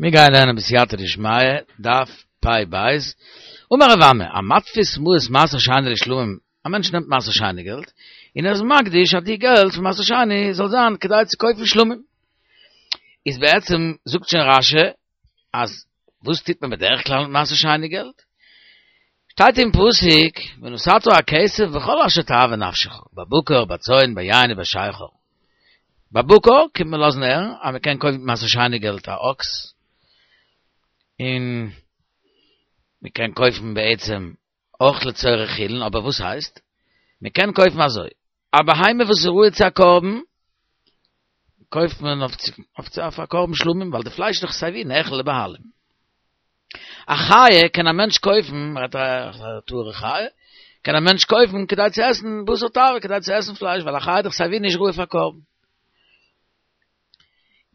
מיר גייען לערנען בסייעתא דשמיא, דף פ"ב, אמר רב אמי, המתפיס מעות מעשר שני לשלמים, א מענטש נעמט מעשר שני געלט, און ער איז מקדיש אז די געלט פון מעשר שני זאל זיין כדי צו קויפן שלמים. איז בעצם זאגט שוין רש"י אז וואס טוט מען בדרך כלל מיט מעשר שני געלט? שטייט אין פסוק ונתתה הכסף בכל אשר תאוה נפשך, בבקר, בצאן, ביין ובשכר. בבקר קומט מען לאזן הערן אז מען קען קויפן מיט מעשר שני געלט א אקס, און מען קען קויפן בעצם אויך לצורך חולין, אבער וואס הייסט? מען קען קויפן אזוי, א בהמה וואס איז ראוי צו א קרבן, קויפט מען אויף אויף א קרבן שלמים, ווייל די פלייש איז דאך סייווי נאכל לבעלים. א חיה קען א מענטש קויפן, מ'רעדט א טהור'ע חיה, קען א מענטש קויפן כדי צו עסן בשר תאווה, כדי צו עסן פלייש, ווייל א חיה איז דאך סייווי נישט ראוי פאר קרבן.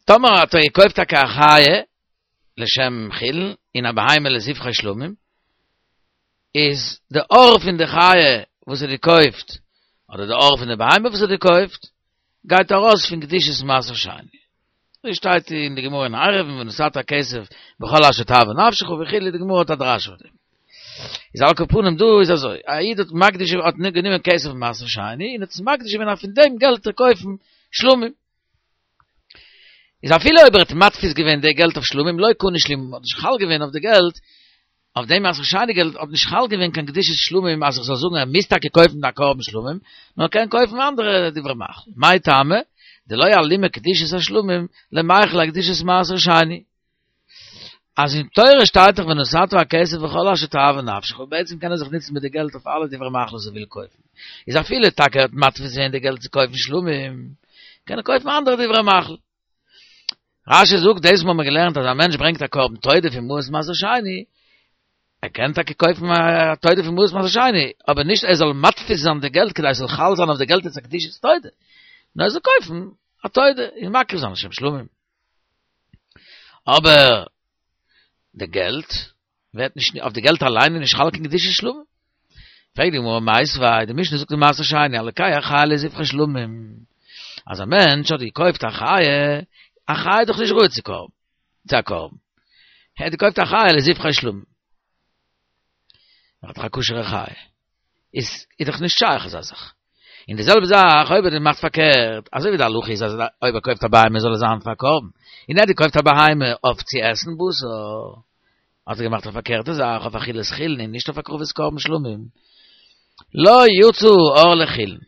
טאמער האט ער געקויפט טאקע א חיה לשם חולין און א בהמה לזבחי שלמים, איז די עור פון די חיה וואס ער האט געקויפט, אדער די עור פון די בהמה וואס ער האט געקויפט, גייט ארויס פון קדושת מעשר שני. אזוי שטייט אין די גמרא אין עירובין ונתתה הכסף בכל אשר תאוה נפשך וכו', די גמרא האט א דרש אויף דעם. איז על כל פנים דא איז אזוי, א איד האט מקדיש האט גענומען כסף פון מעשר שני און האט עס מקדיש געווען אז פון דעם געלט צו קויפן שלמים. איז אפילו אויב ער האט מתפיס געווען די געלט אויף שלמים לא קנו שלמים האט נישט חל געווען אויף די געלט, אויף דעם מעשר שני געלט האט נישט חל געווען קיין קדושת שלמים אז איך זאל זאגן ער מוז טאקע קויפן א קרבן שלמים, נאר ער קען קויפן אנדערע דברי מאכל, מאי טעמא דלא אלימא קדושת השלמים למיכל אקדושת מעשר שני. אז אין תורה שטייט דאך ונתתה הכסף בכל אשר תאוה נפשך, און בעצם קען ער זיך נוצן מיט די געלט אויף אלע דברי מאכל וואס ער וויל קויפן, איז אפילו טאקע ער האט מתפיס געווען די געלט צו קויפן שלמים, קען ער קויפן אנדערע דברי מאכל. רש"י זאגט דאס האבן מיר געלערנט אז א מענטש ברענגט א קרבן תודה פון מעות מעשר שני, ער קען טאקע קויפן א תודה פון מעות מעשר שני, אבער נישט ער זאל מתפיס זיין די געלט כדי עס זאל חל זיין אויף די געלט אלס א קדושת תודה, נאר ער זאל קויפן א תודה און מקריב זיין לשם שלמים. אבער די געלט ווערט נישט, אויף די געלט אליין איז נישט חל קיין קדושת שלמים. פרעגט די גמרא מיתיבי, די משנה זאגט אין מעשר שני, הלוקח חיה לזבחי שלמים, אז א מענטש האט געקויפט א חיה, א חיה איז דאך נישט ראוי צו קרבן, צו א קרבן, ער האט געקויפט א חיה לזבחי שלמים, ער האט דאך א כשר'ע חיה. איז איז דאך נישט שייך אזא זאך. און די זעלבע זאך אויב ער מאכט פארקערט, אזוי ווי די הלכה איז אז אויב ער קויפט א בהמה זאל עס זיין פאר קרבן, און ער האט געקויפט א בהמה אויף צו עסן בשר, האט ער געמאכט א פארקערטע זאך אויף אכילת חולין און נישט אויף הקרבת קרבן שלמים. לא יצא העור לחולין.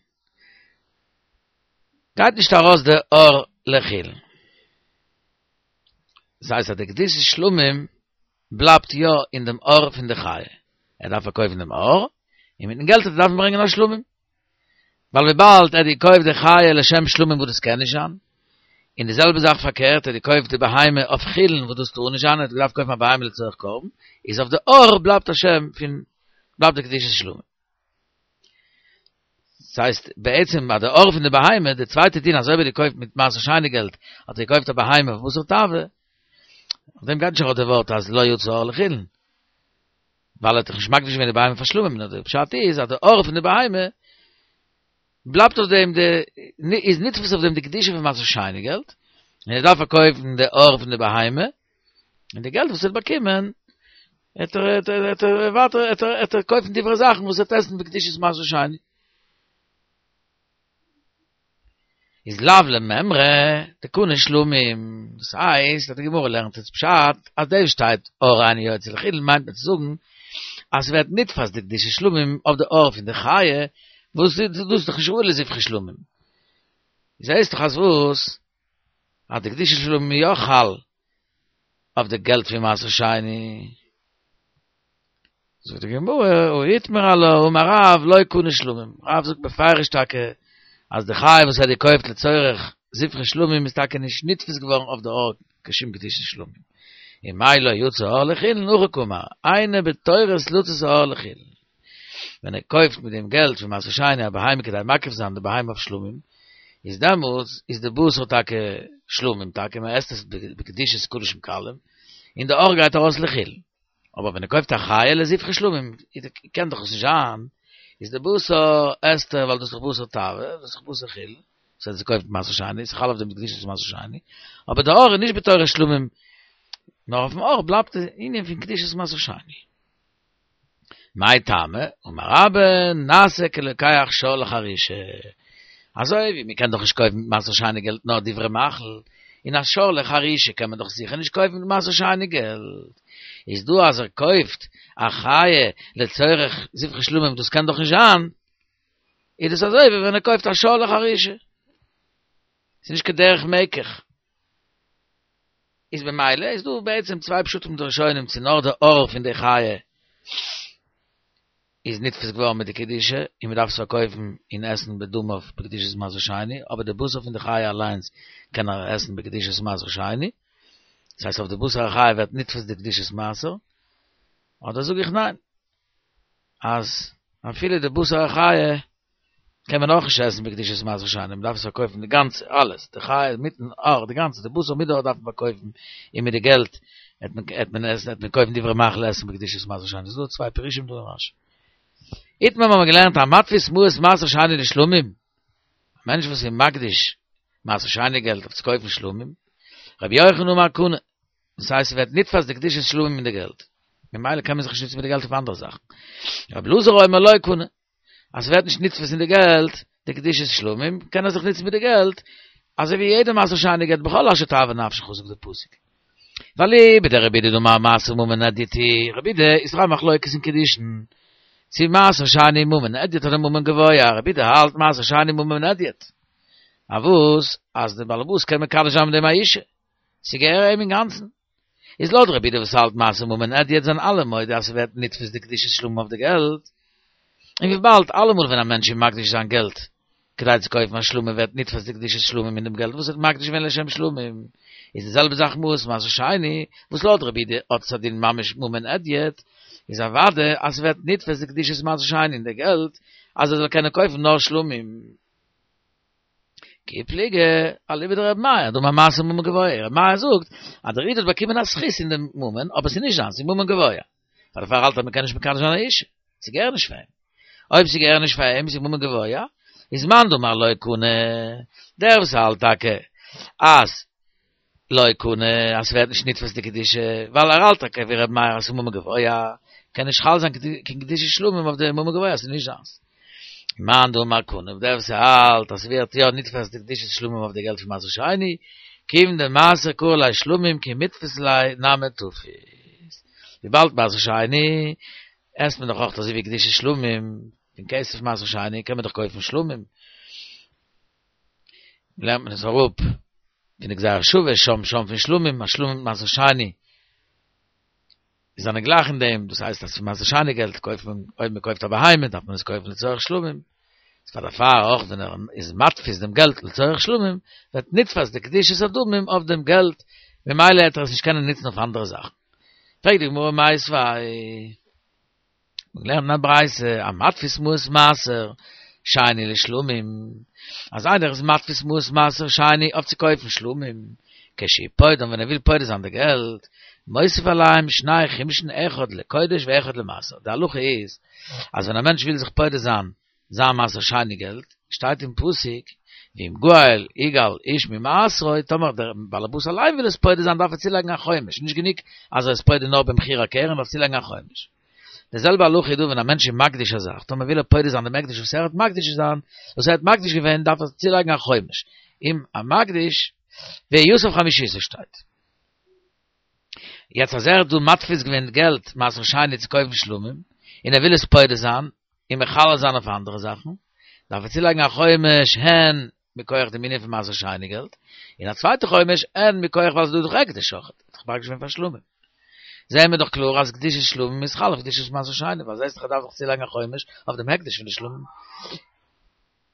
גייט נישט ארויס די עור לחולין. דאס הייסט אז די קדושת שלמים בלייבט יא אין דעם עור פון די חיה, ער דארף פארקויפן דעם עור, און מיטן געלט וועט ער דארפן ברענגען א שלמים. ווייל וויבאלד ער האט געקויפט די חיה לשם שלמים וואס דאס קען נישט זיין, און די זעלבע זאך פארקערט, ער האט געקויפט די בהמה אויף חולין וואס דאס טאר נישט זיין, ער האט געדארפט קויפן א בהמה לצורך קרבן, איז אויף די עור בלייבט א שם פון, בלייבט די קדושת שלמים. דאס הייסט בעצם ביי די עור פון די בהמה, די צווייטע דין אז אויב ער האט געקויפט מיט מעשר שני געלט, האט ער געקויפט א בהמה אויף בשר תאווה, אויף דעם גייט נישט ארויף די ווארט אז לא יצא העור לחולין, ווייל ער האט דאך נישט מקדיש געווען די בהמה פאר שלמים, נאר די פשט איז אז די עור פון די בהמה בלייבט אויף דעם די, איז נתפס אויף דעם די קדושה פון מעשר שני געלט, און ער דארף פארקויפן די עור פון די בהמה, און די געלט וואס ער האט באקומען, וועט ער וועט ער ווייטער וועט ער וועט ער קויפן דברי זאכן וואס ער וועט עסן בקדושת מעשר שני. איז לאו למימרא דקני שלמים, דאס הייסט אז די גמרא לערנט אונז פשט אז דאס שטייט עור אינו יוצא לחולין מיינט מען צו זאגן אז ס'ווערט נתפס די קדושת שלמים אויף די עור פון די חיה וואס דאס איז דאך נישט ראוי לזבחי שלמים. זעהסט דאך אז וואס? אז די קדושת שלמים איז יא חל אויף די געלט פון מעשר שני. זאגט די גמרא, הא איתמר עלה, אמר רב לא קנו שלמים, רב זאגט בפירוש טאקע אז די חיה וואס ער האט געקויפט לצורך זבחי שלמים איז טאקע נישט נתפס געווארן אויף די עור קיין שום קדושת שלמים. ומאי לא יצא העור לחולין, הכי קאמר, אינו בתורת לצאת העור לחולין. ווען ער קויפט מיט דעם געלט פון מעשר שני א בהמה כדי מקריב זיין די בהמה אויף שלמים, איז דעמאלטס איז די בשר טאקע שלמים טאקע, מען עסט עס בקדושת קדשים קלים, און די עור גייט ארויס לחולין. אבער ווען ער קויפט א חיה לזבחי שלמים, קען דאך עס נישט זיין, איז די בשר עסט ער ווייל דאס איז דאך בשר תאווה, דאס איז דאך בשר חולין, וואס ער האט געקויפט מעשר שני, ס'איז חל אויף דעם קדושת מעשר שני, אבער די עור איז נישט בתורת שלמים. נאר אויפן עור בלייבט די ענין פון קדושת מעשר שני. מאי טעמא, אמר רבה, נעשה כלוקח שור לחרישה. אזוי ווי מ'קען דאך נישט קויפן מיט מעשר שני געלט נאר דברי מאכל, און א שור לחרישה קען מען דאך זיכער נישט קויפן מיט מעשר שני געלט. איז דא אז ער קויפט א חיה לצורך זבחי שלמים דאס קען דאך נישט זיין, איז דאס אזוי ווי ווען ער קויפט א שור לחרישה. ס'איז נישט כדרך מקח. איז במילא איז דא בעצם צוויי פשטים די ראשונים צו נאר די עור פון די חיה איז נתפס געווארן מיט די קדושה און מ'דארף עס פארקויפן און עסן בדמיו בקדושת מעשר שני, אבער די בשר פון די חיה אליינס קען ער עסן בקדושת מעשר שני, דאס הייסט אויף די בשר החיה ווערט נתפס די קדושת מעשר, אדער זאג איך ניין, אז אפילו די בשר החיה קען מען אויך נישט עסן בקדושת מעשר שני, מען דארף עס פארקויפן די גאנצע, אלעס, די חיה מיטן עור, די גאנצע, די בשר מיט די עור דארף מען פארקויפן, און מיט די געלט וועט מען וועט מען עסן, וועט מען קויפן דברי מאכל עסן בקדושת מעשר שני, ס'איז דא צוויי פירושים דא אין רש"י. איתמר האבן מיר געלערנט המתפיס מעות מעשר שני לשלמים, א מענטש וואס איז מקדיש מעשר שני געלט אויף צו קויפן שלמים, רבי יוחנן אמר קנה, דאס הייסט ס'ווערט נתפס די קדושת שלמים אין די געלט, ממילא קען מען זיך נישט נוצן מיט די געלט אויף אנדערע זאכן. רבי אלעזר אומר לא קנה, אז ס'ווערט נישט נתפס אין די געלט די קדושת שלמים, קען ער זיך נוצן מיט די געלט, אזוי ווי יעדע מעשר שני געלט בכל אשר תאוה נפשך זאגט די פסוק. ואליבא דרבי יהודה דאמר מעשר ממון הדיוט הוא, רבי יהודה איז דאך א מחלוקת אין קידושין, צו מעשר שני ממון הדיוט אדער ממון גבוה, רבי יהודה האלט מעשר שני ממון הדיוט. אז וואס? אז די באלעבאס קען מקדש זיין מיט דעם א אישה. ס'געהער אים אינגאנצן. איז לויט רבי יהודה וואס האלט מעשר ממון הדיוט זענען אלע מודה אז ס'ווערט נתפס די קדושת שלמים אויף די געלט. און וויבאלד אלעמאל ווען א מענטש איז מקדיש זיין געלט כדי צו קויפן א שלמים ווערט נתפס די קדושת שלמים אין דעם געלט וואס ער האט מקדיש געווען לשם שלמים, איז די זעלבע זאך מעות מעשר שני, וואס לויט רבי יהודה האט עס א דין ממש ממון הדיוט, איז אוודאי אז ס'ווערט נתפס די קדושת מעשר שני אין די געלט אז ער זאל קענען קויפן נאר שלמים. כי פליגי אליבא דרבי מאיר, דאמר מעשר ממון גבוה, רבי מאיר זאגט אז דער איד האט באקומען א זכות אין דעם ממון, אבער ס'איז נישט זיינס, ס'איז ממון גבוה. פאר דערפאר האלט ער מ'קען נישט מקדש זיין א אישה, ס'געהער נישט פאר אים. אויב ס'געהער נישט פאר אים, ס'איז ממון גבוה, איז מאן דאמר לא קנה, דער וואס האלט טאקע אז לא קנה, אז ס'ווערט נישט נתפס די קדושה, ווייל ער האלט טאקע ווי ר' מאיר אז ס'איז ממון גבוה, קען נישט חל זיין קיין קדושת שלמים אויף די ממון גבוה אז ס'איז נישט זיינס. מאן דאמר קנה, דער וואס האלט אז ס'ווערט יא נתפס די קדושת שלמים אויף די געלט פון מעשר שני, כיוון דמעשר קרי ליה שלמים כי מיתפיס ליה נמי תפיס. וויבאלד מעשר שני עסט מען דאך אויך אזוי ווי קדושת שלמים, פון כסף מעשר שני קען מען דאך קויפן שלמים. לערנט מען עס אראפ פון די גזירה שווה שם שם פון שלמים אז שלמים מיט מעשר שני זענען גלייך אין דעם דאס הייסט אז פון מעשר שני געלט קויפט מען אויב מען קויפט א בהמה דארף מען עס קויפן לצורך שלמים איז פאר דערפאר אויך ווען ער איז מתפיס דעם געלט לצורך שלמים ווערט נתפס די קדושת הדמים אויף דעם געלט ממילא וועט ער עס נישט קענען נוצן אויף אנדערע זאכן פרעגט די גמרא מיתיבי מיר לערנען א ברייתא, המתפיס מעות מעשר שני לשלמים, אז איינער איז מתפיס מעות מעשר שני אויף צו קויפן שלמים, כשהוא פודן ווען ער וויל פודה זיין די געלט, מוסיף עליהם שני חומשין אחד לקודש ואחד למעשר, די הלכה איז אז ווען א מענטש וויל זיך פודה זיין זיין מעשר שני געלט, שטייט אין פסוק, ואם גאל יגאל איש ממעשרו, טאמער דער באלעבאס אליין וויל עס פודה זיין דארף ער צולייגן א חומש, נישט גענוג אז ער איז פודה נאר במחיר הקרן, דארף צולייגן א חומש. די זעלבע הלכה איז דא ווען א מענטש איז מקדיש א זאך, טאמער וויל ער פודה זיין דעם הקדש וואס ער האט מקדיש זיין, וואס ער האט מקדיש געווען, דארף ער צולייגן א חומש. אם המקדיש, ויסף חמישית שטייט. יעצט אז ער האט דא מתפיס געווען געלט מעשר שני צו קויפן שלמים, און ער וויל עס פודה זיין, און מחלל זיין אויף אנדערע זאכן, דארף ער צולייגן א חומש הן מכח דעם ענין פון מעשר שני געלט, און א צווייטע חומש הן מכח ווייל ס'איז דא דאך הקדש אויך, האט דאך מקדיש געווען פאר שלמים. זעהן מיר דאך קלאר אז קדושת שלמים איז חל אויף קדושת מעשר שני, ווייל זעהסט דאך ער דארף דאך צולייגן א חומש אויף דעם הקדש פון די שלמים.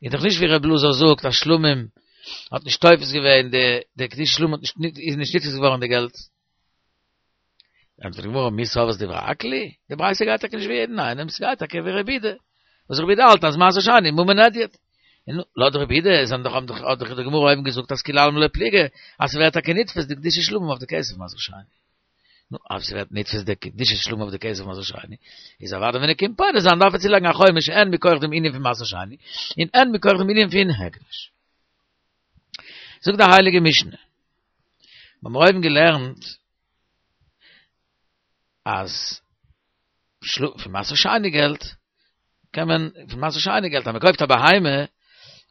איז דאך נישט ווי ר' אלעזר זאגט אז שלמים האט נישט תופס געווען די די קדושת שלמים האט נישט איז נישט נתפס געווארן די געלט. ענטפערט די גמרא מי סברת דברי הכל היא, די ברייתא גייט טאקע נישט ווי יעדן איינעם, ס'גייט טאקע ווי רבי יהודה, וואס רבי יהודה האלט אז מעשר שני ממון הדיוט. און לויט רבי יהודה זענען דאך האבן דאך האט דאך די גמרא אויבן געזאגט אז כולי עלמא לא פליגי אז ס'ווערט טאקע נתפס די קדושת שלמים אויף די כסף מעשר שני. נו, אויב ס'ווערט נתפס די קדושת שלמים אויף די כסף מעשר שני, איז אוודאי ווען ער קומט פודה זיין דארף ער צולייגן א חומש הן מכח דעם ענין פון מעשר שני, און הן מכח דעם ענין פון הקדש. זאגט די הייליגע משנה, מיר האבן אויבן געלערנט. אז פון מעשר שני געלט קען מען, פון מעשר שני געלט אז מען קויפט א בהמה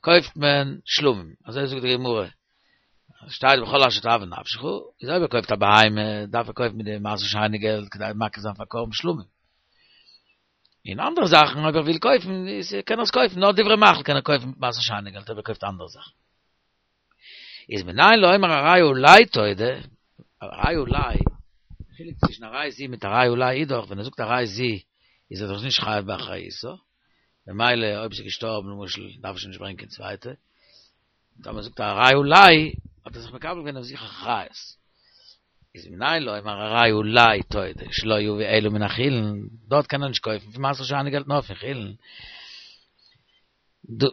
קויפט מען שלמים, אזוי זאגט די גמרא, שטייט בכל אשר תאוה נפשך, איז אויב ער קויפט א בהמה דארף ער קויפן מיט די מעשר שני געלט כדי מקריב זיין פאר קרבן שלמים. און אנדערע זאכן אויב ער וויל קויפן איז קען ער עס קויפן, נאר דברי מאכל קען ער קויפן מיט מעשר שני געלט אויב ער קויפט אנדערע זאכן. איז מנין לומר הרי עלי תודה, הרי עלי, די חילוק צווישן הרי זו מיט הרי עלי איז דאך ווען ער זאגט הרי זו איז ער דאך נישט חייב באחריותה, ממילא אויב ס'איז געשטארבן למשל דארף ער שוין נישט ברענגען קיין צווייטע, טאמער זאגט ער הרי עלי האט ער זיך מקבל געווען אויף זיך אחריות. איז מנין לומר הרי עלי תודה שלא יביא אלא מן החולין, דארט קען ער נישט קויפן פון מעשר שני געלט נאר פון חולין,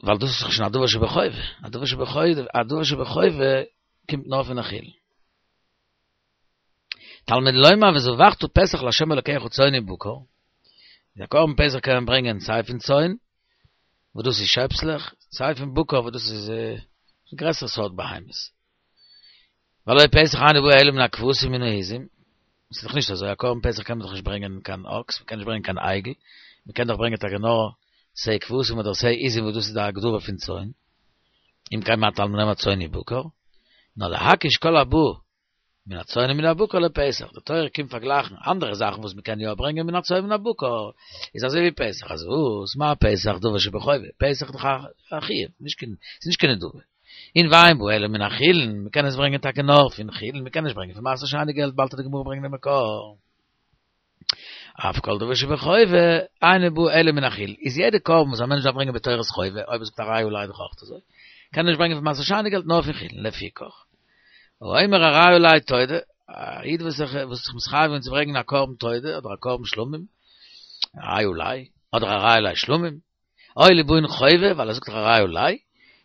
ווייל דאס איז דאך שוין א דבר שבחובה, א דבר שבחובה, א דבר שבחובה קומט נאר פון א חולין. תלמוד לומר וזבחת פסח לה' אלקיך צאן ובקר, די קרבן פסח קען מען ברענגען סיי פון צאן, וואס דאס איז שעפסלעך, סיי פון בקר וואס דאס איז גרעסערע סארט בהמות. והלא פסח אינו בא אלא מן הכבשים ומן העזים, ס'איז דאך נישט אזוי, א קרבן פסח קען מען דאך נישט ברענגען קיין אקס, מ'קען נישט ברענגען קיין עגל, מ'קען דאך ברענגען טאקע נאר שה כבשים אדער שה עזים וואס דאס איז די הגדרה פון צאן, אם כן מה תלמוד לומר צאן ובקר, נאר להקיש כל הבא מן הצאן ומן הבקר לפסח, די תורה קומט פארגלייכן אנדערע זאכן וואס מ'קען יא ברענגען מן הצאן ומן הבקר, איז אזוי ווי פסח, אז וואס? מה פסח דבר שבחובה, פסח איז דאך א חיוב, נישט קיין, ס'איז נישט קיין נדבה. און ואין בא אלא מן החולין, מ'קען עס ברענגען טאקע נאר פון חולין, מ'קען נישט ברענגען פון מעשר שני געלט, באלד וועט די גמרא ברענגען די מקור. אף כל דבר שבחובה, אינו בא אלא מן החולין. איז יעדע קרבן וואס א מענטש דארף ברענגען בתורת חובה, אויב ער זאגט הרי עלי דאך אויך אזוי, קען ער נישט ברענגען פון מעשר שני געלט נאר פון חולין, לפיכך. האומר הרי עלי תודה, א איד וואס זיך וואס זיך מתחייב געווען צו ברענגען א קרבן תודה אדער א קרבן שלמים, הרי עלי, אדער הרי עלי שלמים, או ליבעון חובה, ווייל ער זאגט דאך הרי עלי,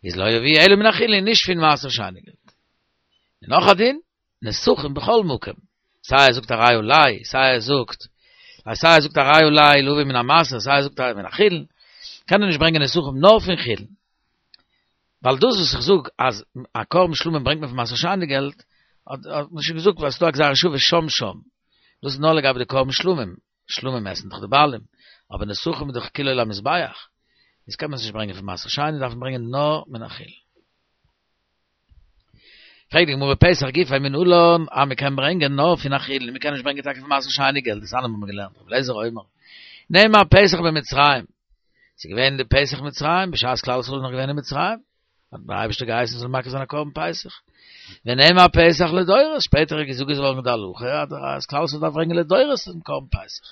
איז לא יביא אלא מן החולין, נישט פון מעשר שני געלט. און נאך א דין, נסכים בכל מקום, סיי ער זאגט הרי עלי, סיי ער זאגט, סיי ער זאגט הרי עלי להביא מן המעשר, סיי ער זאגט מן החולין, קען ער נישט ברענגען נסכים נאר פון חולין. ווייל דאס וואס איך זאג אז א קרבן שלמים ברענגט מען פון מעשר שני געלט, האט מען שוין געזאגט ווייל ס'איז דא א גזירה שווה שם שם. דאס איז נאר לגבי די קרבן שלמים, שלמים עסן דאך די בעלים, אבער נסכים איז דאך כולו למזבח, איז קען מען עס נישט ברענגען פון מעשר שני, דארף מען ברענגען נאר מן החולין. פרעגט די גמרא פסח גופיה מנלן אז מען קען ברענגען נאר פון א חולין, מען קען נישט ברענגען טאקע פון מעשר שני געלט, דתניא האבן מיר געלערנט, רבי אליעזר אומר, נאמר פסח במצרים, ס'איז געווען די פסח מצרים, בשעת כלל ישראל איז נאך געווען אין מצרים, האט דער אייבערשטער געהייסן מ'זאל מקריב זיין א קרבן פסח. ונאמר פסח לדורות, שפעטער איז געזאגט געווארן די הלכה אז כלל ישראל דארף ברענגען לדורות דעם קרבן פסח.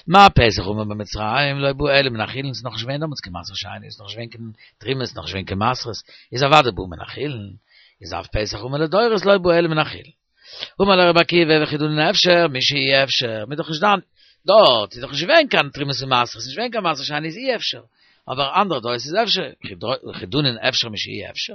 מה פסח האמור במצרים לא בא אלא מן החולין, ס'איז נאך נישט געווען דעמאלטס קיין מעשר שני, ס'איז נאך נישט געווען קיין תרומות, נאך נישט געווען קיין מעשרות, איז אוודאי בא מן החולין, איז אף פסח האמור לדורות לא בא אלא מן החולין. אמר לו רבי עקיבא וכי דנין אפשר, משאי אפשר, מ'איז דאך נישט דן, דארט איז דאך נישט געווען קיין תרומות און מעשרות, נישט געווען קיין מעשר שני איז אי אפשר, אבער אנדערע דורות איז אפשר, וכי דנין אפשר משאי אפשר.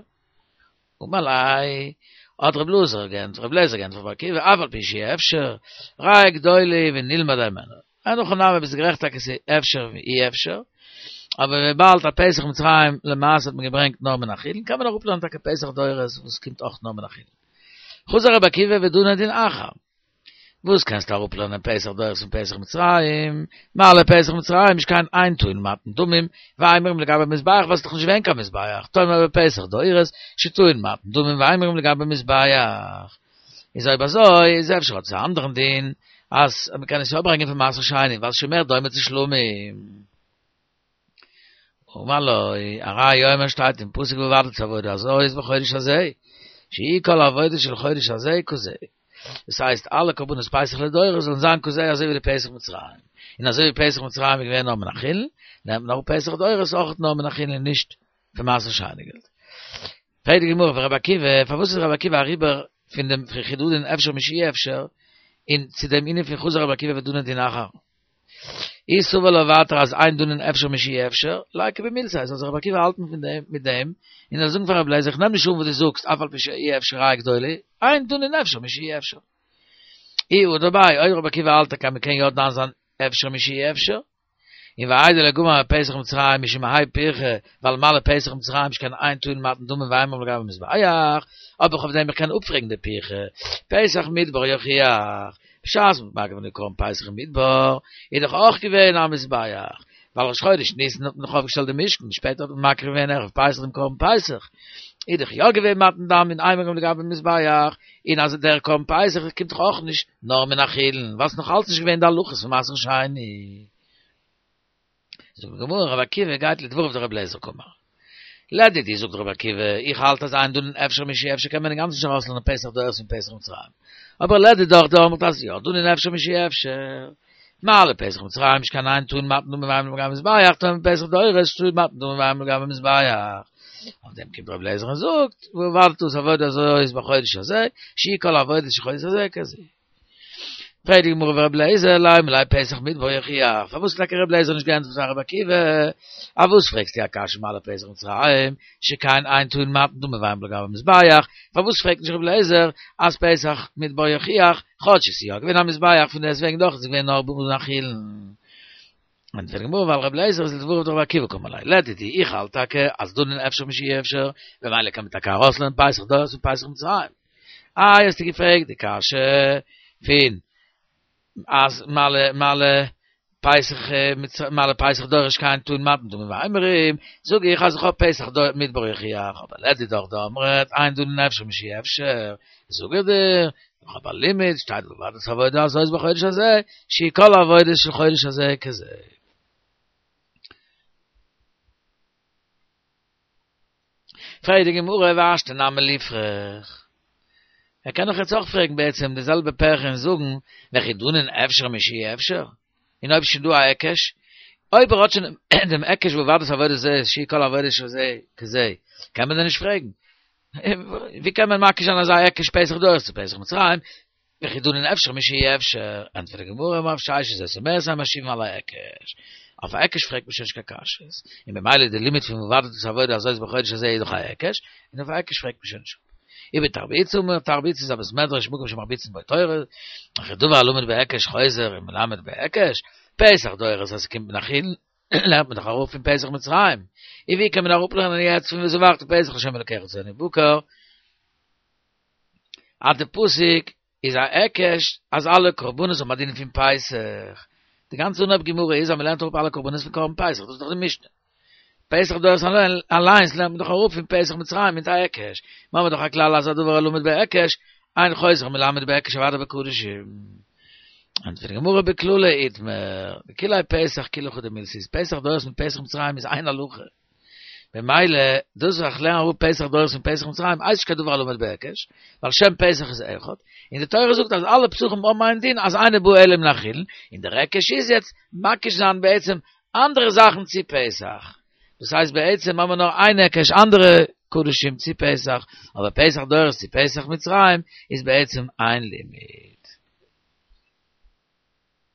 אמר ליה, האט רב אלעזר געענטפערט, רב לעזער געענטפערט רבי עקיבא, אף על פי שאי אפשר, ראיה גדולה היא ונלמד הימנה. אין הכי נמי ביסט גערעכט טאקע ס'איז אפשר ואי אפשר, אבער וויבאלד א פסח מצרים למעשה האט מען געברענגט נאר מן החולין, קען מען אראפלערנען טאקע פסח דורות וואס קומט אויך נאר מן החולין. חזר רבי עקיבא ודנה דין אחר. וואס קענסטו אראפלערנען פסח דורות פון פסח מצרים? מה לפסח מצרים שכן אין טעון מתן דמים, ואימורים לגבי מזבח ווייל ס'איז דאך נישט געווען קיין מזבח, תאמר בפסח דורות שטעון מתן דמים ואימורים לגבי מזבח. איז אויב אזוי איז אפשר האט עס א אנדערן דין אז מ'קען עס יא ברענגען פון מעשר שני ווייל ס'איז שוין מער דומה צו שלמים. אמר לו, הרי הוא אומר שטייט אין פסוק ועבדת את העבודה הזאת בחודש הזה, שיהי' כל העבודה של חודש הזה כזה. דאס הייסט אלע קרבנות פסח לדורות זאלן זיין כזה אזוי ווי די פסח מצרים. און אזוי ווי פסח מצרים איז געווען נאר מן החולין, נעמט מען אראפ פסח דורות אויך נאר מן החולין און נישט פון מעשר שני געלט. פרעגט די גמרא פון רבי עקיבא, פארוואס איז רבי עקיבא אריבער פון דעם וכי דנין אפשר משאי אפשר, און צו דעם ענין פון חזר רבי עקיבא ודנה דין אחר? אי סבר לה ווייטער אז אין דנין אפשר משאי אפשר, ליקו במילתיה, זאל זיך רבי עקיבא האלטן פון דעם מיט דעם, און זאל זאגן פאר רבי אליעזר איך נעם נישט אן וואס דו זאגסט אף על פי שאי אפשר ראיה גדולה, אין דנין אפשר משאי אפשר. אי הדר ביה, אויב רבי עקיבא האלט טאקע אז מ'קען יא דן זיין אפשר משאי אפשר, און ואיידי לא גמר מפסח מצרים משום האי פירכא, ווייל מה לפסח מצרים שכן אין טעון מתן דמים ואימורים לגבי מזבח, אבער אויף דעם איך קען אפפרעגן די פירכא, פסח מדבר יוכיח. בשעת מ'האט מקריב געווען די קרבן פסח אין מדבר, איז דאך אויך געווען א מזבח, ווייל ראש חודש ניסן האט מען דאך אויפגעשטעלט די משכן, שפעטער האט מען מקריב געווען ערב פסח דעם קרבן פסח, איז דאך יא געווען מתן דם און אימורים לגבי מזבח, און אז דער קרבן פסח קומט דאך אויך נישט נאר מן החולין, ווייל ס'איז נאך אלץ נישט געווען די הלכות פון מעשר שני. זאגט די גמרא רבי עקיבא גייט לדבריו דרבי אליעזר קאמר. לדידי זאגט רבי עקיבא, איך האלט אז אין דנין אפשר משאי אפשר קען מען אינגאנצן נישט ארויסלערנען פסח דורות פון פסח מצרים. אבער לדידך דאמרת אז יא דנין אפשר משאי אפשר. מה לפסח מצרים שכן אין טעון מתן דמים ואימורים לגבי מזבח תאמר פסח דורות שטעון מתן דמים ואימורים לגבי מזבח. אויף דעם קומט רבי אליעזר און זאגט, ועבדת את העבודה הזאת בחודש הזה, שיהי' כל העבודות של חודש הזה כזה. פרעגט די גמרא ורבי אליעזר לימא ליה פסח מדבר יוכיח, פארוואס האט טאקע רבי אליעזר נישט געענטפערט פאר רבי עקיבא? אויף וואס פרעגסטו א קשיא מה לפסח מצרים, שכן אין טעון מתן דמים ואימורים לגבי מזבח, פארוואס פרעגט נישט רבי אליעזר אז פסח מדבר יוכיח, כאטש עס איז יא געווען א מזבח פון דעסטוועגן דאך איז עס געווען נאר מן החולין. ענטפערט די גמרא ווייל רבי אליעזר איז לדבריו דרבי עקיבא קאמר ליה, לדידי איך האלט טאקע אז דנין אפשר משאי אפשר, במילא קען מען טאקע ארויסלערנען פסח דורות פון פסח מצרים. איי האסטו געפרעגט די קשיא פון אז מה ל מה לפסח מה לפסח דורות שכן טעון מתן דמים ואימורים, זאג איך אז איך האב פסח מדבר יוכיח, אבער לדידך דאמרת אין דנין אפשר משאי אפשר, זאג איך דיר, איך האב א לימוד, שטייט ועבדת את העבודה הזאת בחודש הזה, שיהו כל העבודות של חודש הזה כזה. פרעגט די גמרא והשתא נמי ליפרך. ער קען דאך יעצט אויך פרעגן בעצם די זעלבע פירכא און זאגן, וכי דנין אפשר משאי אפשר? און אויב שוין דא א היקש, אויב ער האט שוין דעם היקש ועבדת את העבודה הזאת שיהו כל העבודות של זה כזה, קען מען דען נישט פרעגן? ווי קען מען מקיש זיין אזא היקש פסח דורות צו פסח מצרים? וכי דנין אפשר משאי אפשר, ענטפערט די גמרא אמר רב ששת זאת אומרת אין משיבין על ההיקש, אויף א היקש פרעגט מען שוין נישט קיין קשיות, און ממילא די לימוד פון ועבדת את העבודה הזאת בחודש הזה איז דאך א היקש, און אויף א היקש פרעגט מען שוין נישט אפ. ובתרביצא אמר, תרביצא איז א בית מדרש מקום שמרביצין בו תורה, וכי דבר הלמד בהיקש חוזר ומלמד בהיקש, פסח דורות אז ס'קומט מן החולין, לערנט מען דאך אראפ פון פסח מצרים, און ווי קען מען אראפלערנען יעצט פון וזבחת פסח לה' אלקיך צאן ובקר? אז די פסוק איז א היקש אז אלע קרבנות האבן א דין פון פסח, די גאנצע אנהויב גמרא איז אז מען לערנט אראפ אלע קרבנות פון קרבן פסח, דאס איז דאך די משנה. פסח דורות אליינס לערנט מען דאך אראפ פון פסח מצרים מיט א היקש, מיר האבן דאך א כלל אז הדבר הלמד בהיקש, אין חוזר ומלמד בהיקש אוודאי בקדשים. ענטפערט די גמרא בכללא איתמר, דכוליה פסח כולא חדא מילתא איז פסח דורות מיט פסח מצרים איז איין הלכה. במילא, דאס וואס איך לערן אראפ פסח דורות פון פסח מצרים, הייסט נישט קיין דבר הלמד בהיקש, ווייל שם פסח איז אחד, און די תורה זאגט אז אלע פסחים האבן איין דין אז אינו בא אלא מן החולין, און דער היקש איז יעצט מקיש זיין בעצם אנדערע זאכן צו פסח. דאס הייסט בעצם האבן מיר נאר איין היקש אנדערע קדשים צו פסח, אבער פסח דורות צו פסח מצרים איז בעצם איין לימוד.